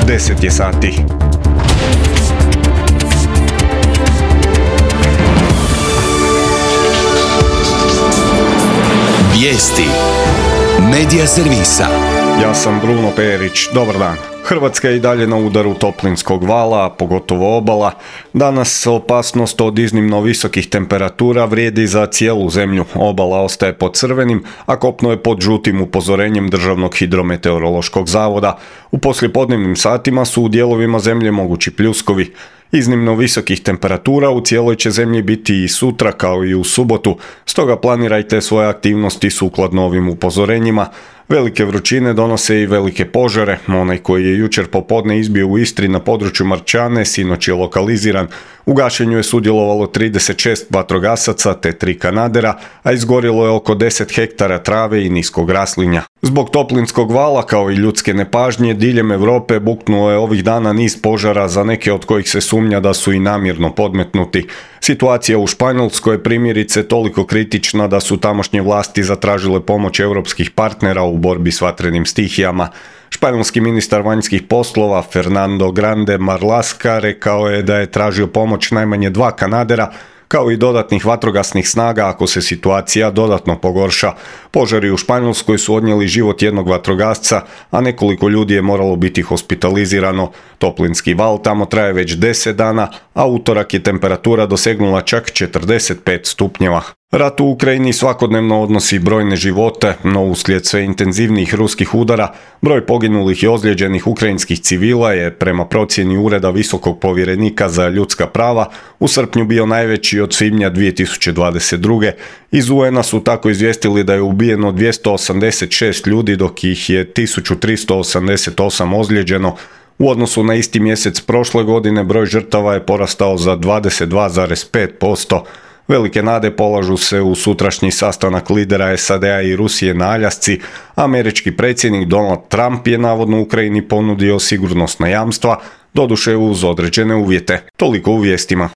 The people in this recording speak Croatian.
10 je sati. Vijesti Medija servisa. Ja sam Bruno Perić, dobar dan. Hrvatska je i dalje na udaru toplinskog vala, pogotovo obala. Danas opasnost od iznimno visokih temperatura vrijedi za cijelu zemlju. Obala ostaje pod crvenim, a kopno je pod žutim upozorenjem Državnog hidrometeorološkog zavoda. U poslijepodnevnim satima su u dijelovima zemlje mogući pljuskovi. Iznimno visokih temperatura u cijeloj će zemlji biti i sutra kao i u subotu, stoga planirajte svoje aktivnosti sukladno ovim upozorenjima. Velike vrućine donose i velike požare. Onaj koji je jučer popodne izbio u Istri na području Marčane sinoć je lokaliziran. U gašenju je sudjelovalo 36 vatrogasaca te 3 kanadera, a izgorilo je oko 10 hektara trave i niskog raslinja. Zbog toplinskog vala kao i ljudske nepažnje diljem Europe buknuo je ovih dana niz požara, za neke od kojih se sumnja da su i namjerno podmetnuti. Situacija u Španjolskoj je primjerice toliko kritična da su tamošnje vlasti zatražile pomoć europskih partnera u borbi s vatrenim stihijama. Španjolski ministar vanjskih poslova Fernando Grande Marlaska rekao je da je tražio pomoć najmanje 2 kanadera, kao i dodatnih vatrogasnih snaga ako se situacija dodatno pogorša. Požari u Španjolskoj su odnijeli život jednog vatrogasca, a nekoliko ljudi je moralo biti hospitalizirano. Toplinski val tamo traje već 10 dana, a utorak je temperatura dosegnula čak 45 stupnjeva. Rat u Ukrajini svakodnevno odnosi brojne živote, no uslijed sve intenzivnijih ruskih udara, broj poginulih i ozlijeđenih ukrajinskih civila je, prema procjeni Ureda visokog povjerenika za ljudska prava, u srpnju bio najveći od svibnja 2022. Iz UN-a su tako izvijestili da je ubijeno 286 ljudi, dok ih je 1388 ozlijeđeno. U odnosu na isti mjesec prošle godine broj žrtava je porastao za 22,5%. Velike nade polažu se u sutrašnji sastanak lidera SAD-a i Rusije na Aljasci. Američki predsjednik Donald Trump je navodno Ukrajini ponudio sigurnosna jamstva, doduše uz određene uvjete. Toliko u vijestima.